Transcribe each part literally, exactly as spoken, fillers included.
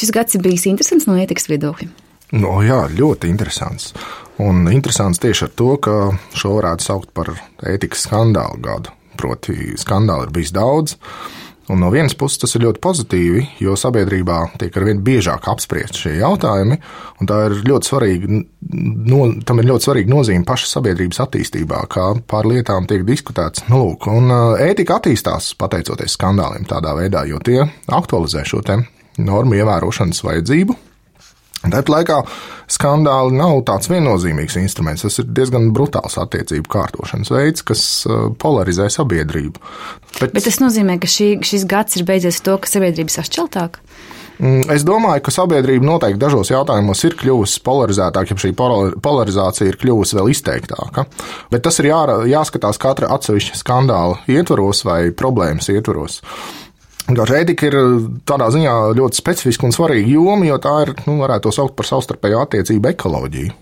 Šis gads ir bijis interesants no ētikas viedokļa. No, jā, ļoti interesants. Un interesants tieši ar to, ka šo varētu saukt par ētikas skandālu gadu. Proti, skandāli ir bijis daudz. Un no vienas puses tas ir ļoti pozitīvi, jo sabiedrībā tiek arvien biežāk apspriest šie jautājumi, un tā ir ļoti svarīga, no, tam ir ļoti svarīga nozīme pašas sabiedrības attīstībā, kā pār lietām tiek diskutēts. Nu, lūk, un ētika attīstās pateicoties skandāliem tādā veidā, jo tie aktualizē šo te normu ievērošanas vajadzību. Tāpat laikā skandāli nav tāds viennozīmīgs instruments, tas ir diezgan brutāls attiecību kārtošanas veids, kas polarizē sabiedrību. Bet, Bet tas nozīmē, ka šī, šis gads ir beidzies to, ka sabiedrība sašķeltāk? Es domāju, ka sabiedrība noteikti dažos jautājumos ir kļuvusi polarizētāka, ja šī polarizācija ir kļuvusi vēl izteiktāka. Bet tas ir jā, jāskatās katra atsevišķa skandāla ietvaros vai problēmas ietvaros. Ētika ir tādā ziņā ļoti specifiska un svarīga joma, jo tā ir, nu, varētu to saukt par savstarpējo attiecību ekoloģiju.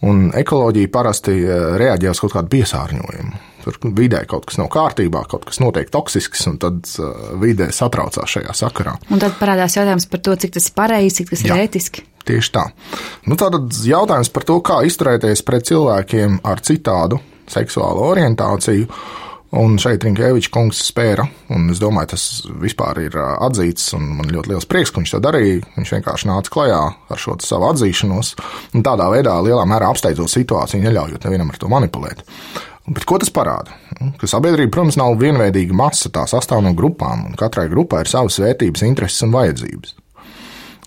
Un ekoloģija parasti reaģē uz kaut kādu piesārņojumu. Tur vidē kaut kas nav kārtībā, kaut kas notiek toksisks, un tad vidē satraucās šajā sakarā. Un tad parādās jautājums par to, cik tas ir pareizi, cik tas Jā, ir ētiski. Tieši tā. Nu, tātad jautājums par to, kā izturēties pret cilvēkiem ar citādu seksuālu orientāciju. Un šeit Rinkēviča kungs spēra, un es domāju, tas vispār ir atzīts, un man ļoti liels prieks, ka viņš to darīja. Viņš vienkārši nāca klajā ar šo savu atzīšanos, un tādā veidā lielā mērā apsteidzot situāciju, neļaujot nevienam ar to manipulēt. Bet ko tas parāda? Ka sabiedrība, protams, nav vienveidīga masa, tā sastāv no grupām, un katrai grupai ir savas vērtības, intereses un vajadzības.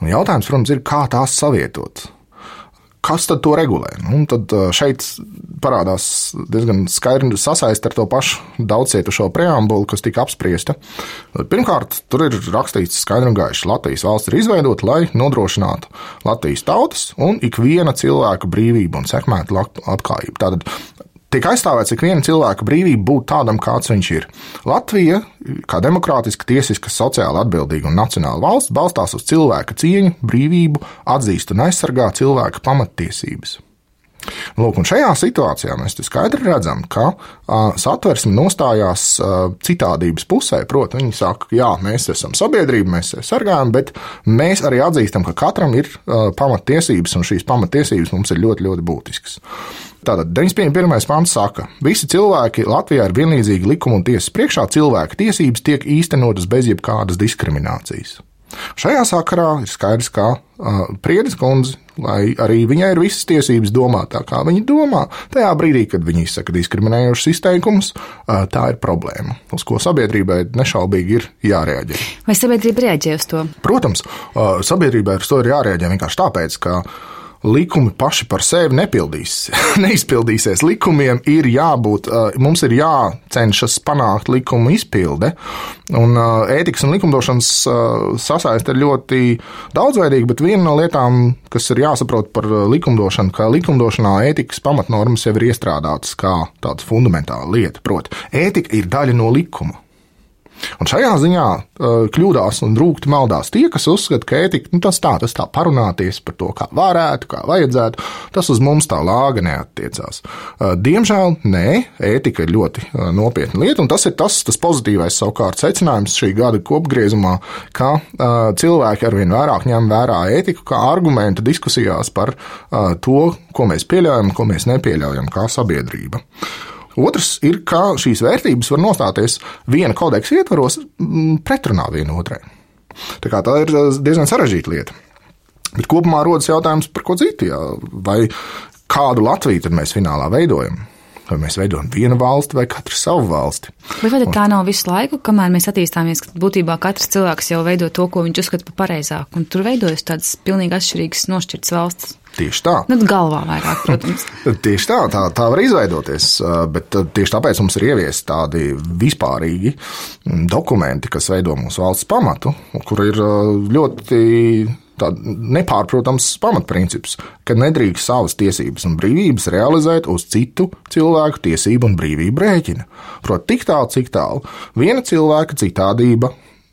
Un jautājums, protams, ir, kā tās savietot. Kas tad to regulē? Nu, tad šeit parādās diezgan skaidri sasaist ar to pašu daudzcietušo preambulu, kas tika apspriesta. Pirmkārt, tur ir rakstīts skaidri un gaiši, Latvijas valsts ir izveidota, lai nodrošinātu Latvijas tautas un ikviena cilvēka brīvību un sekmētu labklājību. Tātad tiek aizstāvēts ik viena cilvēka brīvība būt tādam, kāds viņš ir. Latvija, kā demokrātiska, tiesiska, sociāli atbildīga un nacionāla valsts, balstās uz cilvēka cieņu, brīvību, atzīst un aizsargā cilvēka pamattiesības. Lūk, un šajā situācijā mēs skaidri redzam, ka uh, satversme nostājās uh, citādības pusē. Proti, viņi saka, jā, mēs esam sabiedrība, mēs sargājam, bet mēs arī atzīstam, ka katram ir uh, pamattiesības, un šīs pamattiesības mums ir ļoti, ļoti būtiskas. Tātad deviņdesmit pirmais pants saka, visi cilvēki Latvijā ir vienlīdzīgi likuma un tiesas priekšā, cilvēka tiesības tiek īstenotas bez jebkādas diskriminācijas. Šajā sakarā ir skaidrs, ka uh, Priedes kundze, lai arī viņai ir visas tiesības domāt tā, kā viņa domā, tajā brīdī, kad viņa izsaka diskriminējošus izteikumus, uh, tā ir problēma, uz ko sabiedrībai nešaubīgi ir jārēģē. Vai sabiedrība reaģē uz to? Protams, uh, sabiedrībai uz to ir jārēģē vienkārši tāpēc, ka likumi paši par sevi nepildīs, neizpildīsies. Likumiem ir jābūt, mums ir jācenšas panākt likumu izpilde, un ētikas un likumdošanas sasaiste ir ļoti daudzveidīga, bet viena no lietām, kas ir jāsaprot par likumdošanu, ka likumdošanā ētikas pamatnormas jau ir iestrādātas kā tāda fundamentāla lieta, proti, ētika ir daļa no likuma. Un šajā ziņā uh, kļūdās un rūkti maldās tie, kas uzskata, ka ētika, nu, tas tā, tas tā parunāties par to, kā varētu, kā vajadzētu, tas uz mums tā lāga neattiecās. Uh, diemžēl, nē, ētika ir ļoti uh, nopietna lieta, un tas ir tas, tas pozitīvais savukārt secinājums šī gada kopgriezumā, ka uh, cilvēki arvien vairāk ņem vērā ētiku kā argumentu diskusijās par uh, to, ko mēs pieļaujam, ko mēs nepieļaujam kā sabiedrība. Otrs ir, ka šīs vērtības var nostāties viena kodeksa ietvaros pretrunā viena otrai. Tā kā tā ir diezgan sarežģīta lieta. Bet kopumā rodas jautājums par ko citu, jā. Vai kādu Latviju tad mēs finālā veidojam? Vai mēs veidojam vienu valsti vai katru savu valsti? Bet vai tā nav visu laiku, kamēr mēs attīstāmies, ka būtībā katrs cilvēks jau veido to, ko viņš uzskata par pareizāku, un tur veidojas tādas pilnīgi atšķirīgas nošķirtas valstis? Tieši tā. Nu, galvā vairāk, protams. Tieši tā, tā, tā var izveidoties, bet tieši tāpēc mums ir ieviesti tādi vispārīgi dokumenti, kas veido mūsu valsts pamatu, kur ir ļoti nepārprotams pamatprincips, ka nedrīkst savas tiesības un brīvības realizēt uz citu cilvēku tiesību un brīvību rēķina. Proti, tik tālu, cik tālu viena cilvēka citādība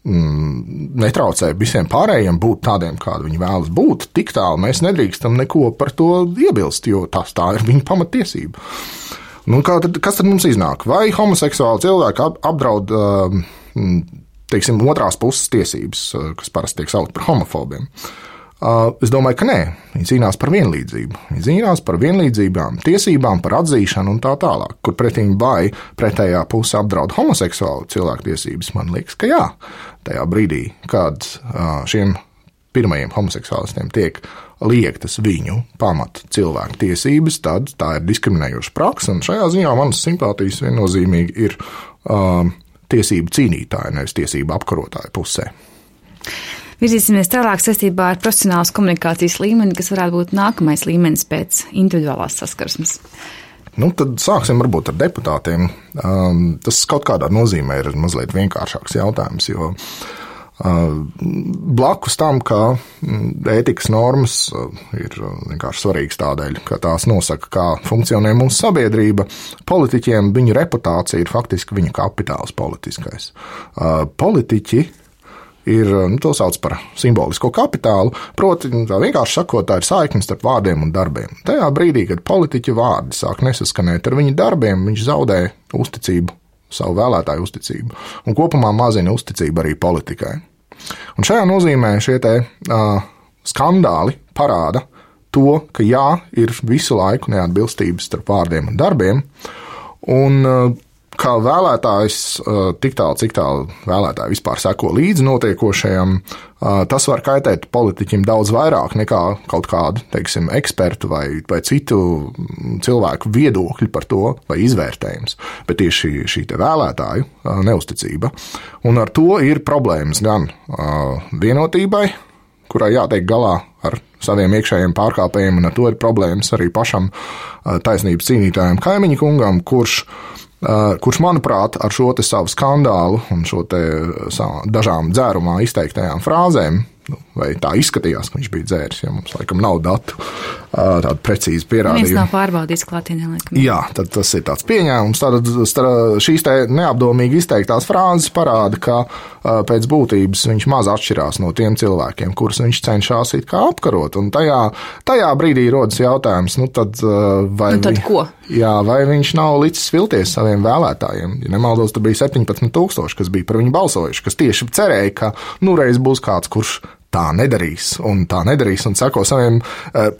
netraucē visiem pārējiem būt tādiem, kādi viņi vēlas būt, tik tālu mēs nedrīkstam neko par to iebilst, jo tas tā ir viņa pamatiesība. Nu, kā tad, kas tad mums iznāk? Vai homoseksuāli cilvēki apdraud uh, teiksim, otrās puses tiesības, kas parasti tiek saukt par homofobiem. Es domāju, ka nē, viņi cīnās par vienlīdzību. Viņi cīnās par vienlīdzībām, tiesībām, par atzīšanu un tā tālāk, kur pretīm vai pretējā puse apdraud homoseksuālu cilvēku tiesības. Man liekas, ka jā, tajā brīdī, kad šiem pirmajiem homoseksuālistiem tiek liektas viņu pamata cilvēku tiesības, tad tā ir diskriminējoša praksa, un šajā ziņā manas simpātijas viennozīmīgi ir uh, tiesību cīnītāji, nevis tiesību apkarotāju pusē. Virzīsimies tālāk saistībā ar profesionālas komunikācijas līmeni, kas varētu būt nākamais līmenis pēc individuālās saskarsmes. Nu, tad sāksim varbūt ar deputātiem. Um, tas kaut kādā nozīmē ir mazliet vienkāršāks jautājums, jo uh, blakus tam, ka ētikas normas ir vienkārši svarīgas tādēļ, ka tās nosaka, kā funkcionē mūsu sabiedrība, politiķiem viņu reputācija ir faktiski viņu kapitāls politiskais. Uh, politiķi ir, nu, to sauc par simbolisko kapitālu, proti, tā vienkārši sakot, tā ir saikne starp vārdiem un darbiem. Tajā brīdī, kad politiķa vārdi sāk nesaskanēt ar viņu darbiem, viņš zaudē uzticību, savu vēlētāju uzticību, un kopumā mazina uzticību arī politikai. Un šajā nozīmē šie te uh, skandāli parāda to, ka jā, ir visu laiku neatbilstības starp vārdiem un darbiem, un uh, kā vēlētājs, tik tālu, cik tālu vēlētāji vispār seko līdzi notiekošajam, tas var kaitēt politiķim daudz vairāk nekā kaut kādu, teiksim, ekspertu vai, vai citu cilvēku viedokļu par to vai izvērtējums, bet tieši šī te vēlētāju neusticība. Un ar to ir problēmas gan vienotībai, kurai jātiek galā ar saviem iekšējiem pārkāpējiem, un ar to ir problēmas arī pašam taisnības cīnītājiem Kaimiņa kungam, kurš kurš, manuprāt, ar šo te savu skandālu un šo te dažām dzērumā izteiktajām frāzēm, vai tā izskatījās, ka viņš bija dzēris, ja mums laikam nav datu tādu precīzi pierādījumu. Viens nav pārbaudījis klātienē, laikam. Jā, tad tas ir tāds pieņēmums. Tātad šīs te neapdomīgi izteiktās frāzes parāda, ka pēc būtības viņš maz atšķirās no tiem cilvēkiem, kurus viņš cenšas it kā apkarot. Un tajā, tajā brīdī rodas jautājums, nu tad vai, nu tad ko? Jā, vai viņš nav licis vilties saviem vēlētājiem. Ja nemaldos, tur bija septiņpadsmit tūkstoši, kas bija par viņu balsojuši, kas tieši cerēja, ka nu reiz būs kāds, kurš tā nedarīs, un tā nedarīs, un seko saviem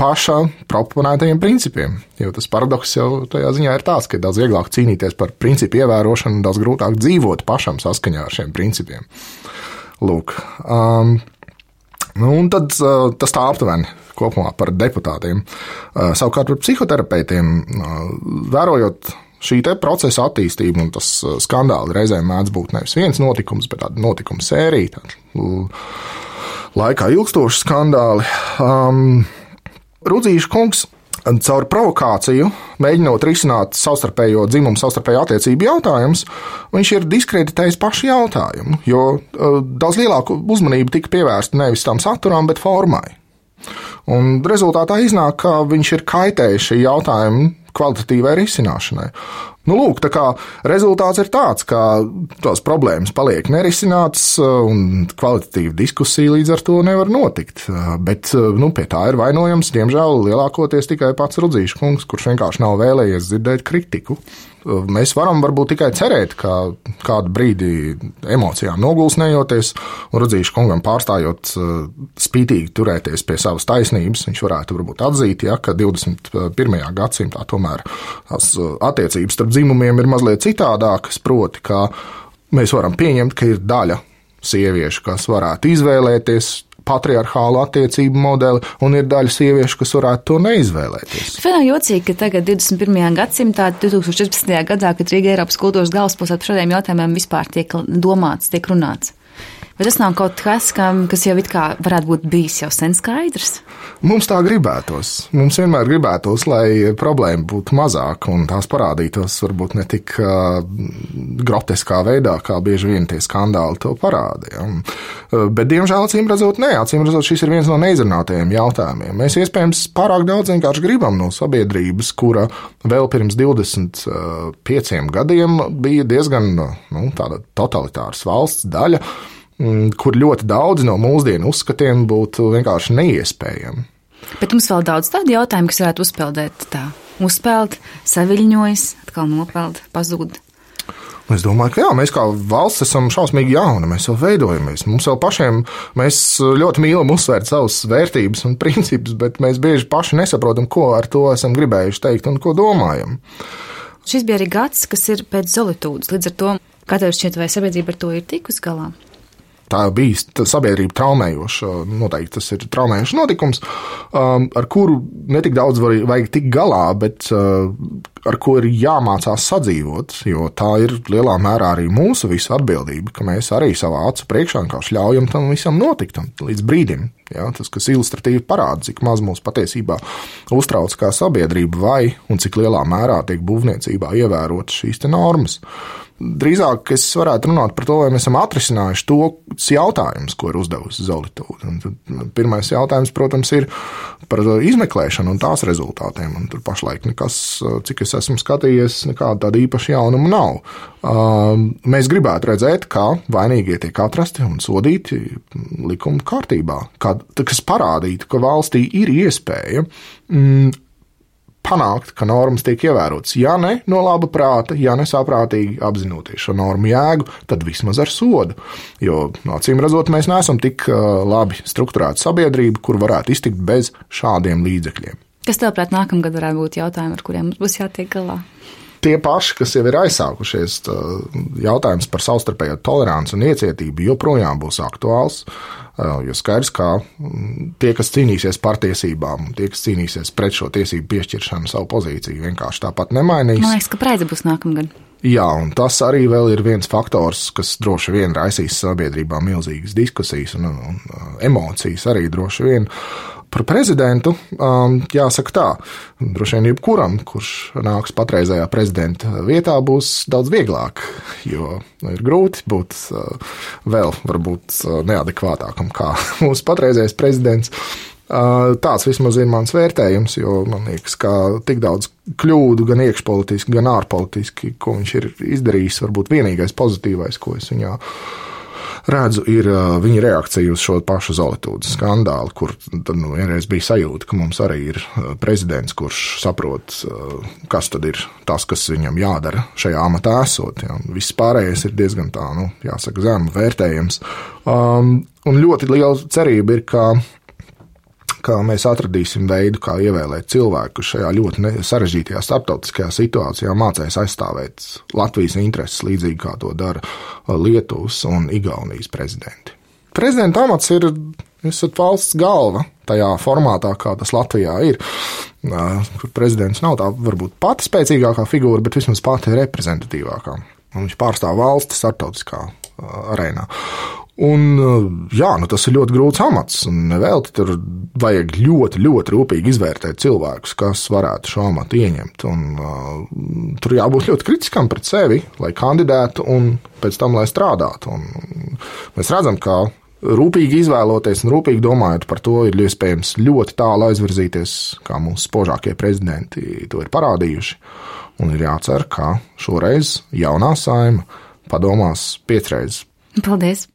paša proponētajiem principiem. Jo tas paradoks jau tajā ziņā ir tāds, ka ir daudz vieglāk cīnīties par principu ievērošanu un daudz grūtāk dzīvot pašam saskaņā ar šiem principiem. Lūk. Um, nu, un tad uh, tas tā aptuveni kopumā par deputātiem. Uh, savukārt par psihoterapeitiem, uh, vērojot šī te procesa attīstība, un tas skandāli reizēm mēdz būt nevis viens notikums, bet tāda notikuma sērija, tāda laikā ilgstoši skandāli. Um, Rudzīša kungs caur provokāciju, mēģinot risināt savstarpējo dzimumu, savstarpējo attiecību jautājumus, viņš ir diskreditējis pašu jautājumu, jo uh, daudz lielāku uzmanību tika pievērsta nevis tam saturam, bet formai. Un rezultātā iznāk, ka viņš ir kaitējis šī jautājuma kvalitatīvai risināšanai. Nu, lūk, tā kā rezultāts ir tāds, ka tās problēmas paliek nerisinātas un kvalitatīva diskusija līdz ar to nevar notikt. Bet, nu, pie tā ir vainojams, diemžēl, lielākoties tikai pats Rudzīša kungs, kurš vienkārši nav vēlējies dzirdēt kritiku. Mēs varam varbūt tikai cerēt, ka kādu brīdi emocijām nogulsnējoties un Rudzīša kungam pārstājot spītīgi turēties pie savas taisnības, viņš varētu varbūt atzīt, ja, ka divdesmit pirmajā gadsimtā tomēr tās attiecības starp dzimumiem ir mazliet citādākas, proti, ka mēs varam pieņemt, ka ir daļa sieviešu, kas varētu izvēlēties patriarchālu attiecību modeli, un ir daļa sieviešu, kas varētu to neizvēlēties. Bet nav jocīgi, ka tagad divdesmit pirmajā gadsimtā, divi tūkstoši četrpadsmitajā gadā, kad Rīga Eiropas kultūras galvaspilsēta par šādiem jautājumiem vispār tiek domāts, tiek runāts. Bet tas nav kaut kas, kas jau it kā varētu būt bijis jau sen skaidrs? Mums tā gribētos. Mums vienmēr gribētos, lai problēma būtu mazāka un tās parādītos varbūt ne tik uh, groteskā veidā, kā bieži vien tie skandāli to parāda. Ja. Uh, bet, diemžēl, acīm redzot, nē, acīm redzot, šis ir viens no neizrunātajiem jautājumiem. Mēs iespējams pārāk daudz vienkārši gribam no sabiedrības, kura vēl pirms divdesmit pieciem gadiem bija diezgan nu, tāda totalitāras valsts daļa, kur ļoti daudz no mūsdienu uzskatiem būtu vienkārši neiespējami. Bet mums vēl daudz tādu jautājumu, kas varētu uzpeldēt tā. Uzpeld, saviļņojas, atkal nopeld, pazūd. Es domāju, ka jā, mēs kā valsts esam šausmīgi jauni, mēs vēl veidojamies. Mums vēl pašiem, mēs ļoti mīlam uzsvērt savas vērtības un principus, bet mēs bieži paši nesaprotam, ko ar to esam gribējuši teikt un ko domājam. Šis bija arī gads, kas ir pēc Zolitūdas. Līdz ar to, kā tev šķiet, vai sabiedrība ar to ir tikus galā? Tā bijis sabiedrība traumējoša, noteikti tas ir traumējošs notikums, ar kuru netik daudz vajag tikt galā, bet ar ko ir jāmācās sadzīvot, jo tā ir lielā mērā arī mūsu visu atbildība, ka mēs arī savā acu priekšā vienkārši ļaujam tam visam notikt līdz brīdim. Ja, tas, kas ilustratīvi parāda, cik maz mūs patiesībā uztrauc kā sabiedrība vai un cik lielā mērā tiek būvniecībā ievērotas šīs te normas. Drīzāk es varētu runāt par to, vai mēs esam atrisinājuši tos jautājumus, ko ir uzdevusi Zolitūda. Pirmais jautājums, protams, ir par izmeklēšanu un tās rezultātiem. Un tur pašlaik nekas, cik es esmu skatījies, nekāda tāda īpaša jaunuma nav. Mēs gribētu redzēt, kā vainīgie tiek atrasti un sodīti likuma kārtībā, kas parādītu, ka valstī ir iespēja mm, panākt, ka normas tiek ievērotas. Ja ne no laba prāta, ja ne saprātīgi apzinoties šo normu jēgu, tad vismaz ar sodu. Jo, acīm redzot, mēs neesam tik labi strukturēta sabiedrība, kur varētu iztikt bez šādiem līdzekļiem. Kas tev prāt nākamgad varētu būt jautājumi, ar kuriem mums būs jātiek galā? Tie paši, kas jau ir aizsākušies, jautājums par savstarpējo toleranci un iecietību joprojām būs aktuāls, jo skaidrs, ka tie, kas cīnīsies par tiesībām, tie, kas cīnīsies pret šo tiesību piešķiršanu, savu pozīciju vienkārši tāpat nemainīs. Man liekas, ka Praide būs nākamgad. Jā, un tas arī vēl ir viens faktors, kas droši vien raisīs sabiedrībā milzīgas diskusijas un, un, un emocijas arī droši vien. Par prezidentu jāsaka tā, droši vien jebkuram, kurš nāks patreizējā prezidenta vietā, būs daudz vieglāk, jo ir grūti būt vēl varbūt neadekvātākam kā mūsu patreizējais prezidents. Tāds vismaz ir mans vērtējums, jo man liekas, ka tik daudz kļūdu gan iekšpolitiski, gan ārpolitiski, ko viņš ir izdarījis, varbūt vienīgais pozitīvais, ko es viņā redzu, ir viņa reakcija uz šo pašu Zolitūdas skandālu, kur tad nu, vienreiz bija sajūta, ka mums arī ir prezidents, kurš saprot, kas tad ir tas, kas viņam jādara šajā amatā esot. Ja. Viss pārējais ir diezgan tā, nu, jāsaka, zemu vērtējams. Um, un ļoti liela cerība ir, ka ka mēs atradīsim veidu, kā ievēlēt cilvēku, kurš šajā ļoti sarežģītajā starptautiskajā situācijā mācēs aizstāvēt Latvijas intereses līdzīgi, kā to dara Lietuvas un Igaunijas prezidenti. Prezidenta amats ir, esat valsts galva tajā formātā, kā tas Latvijā ir, kur prezidents nav tā varbūt pati spēcīgākā figūra, bet vismaz pati reprezentatīvākā. Un viņš pārstāv valsti starptautiskā arēnā. Un, jā, nu tas ir ļoti grūts amats, un nevēlti tur vajag ļoti, ļoti rūpīgi izvērtēt cilvēkus, kas varētu šo amatu ieņemt. Un, uh, tur jābūt ļoti kritiskam pret sevi, lai kandidētu un pēc tam, lai strādātu. Un mēs redzam, ka rūpīgi izvēloties un rūpīgi domājot par to, ir iespējams ļoti tālu aizvirzīties, kā mūsu spožākie prezidenti to ir parādījuši. Un ir jācer, ka šoreiz jaunā saima padomās piecreiz. Paldies!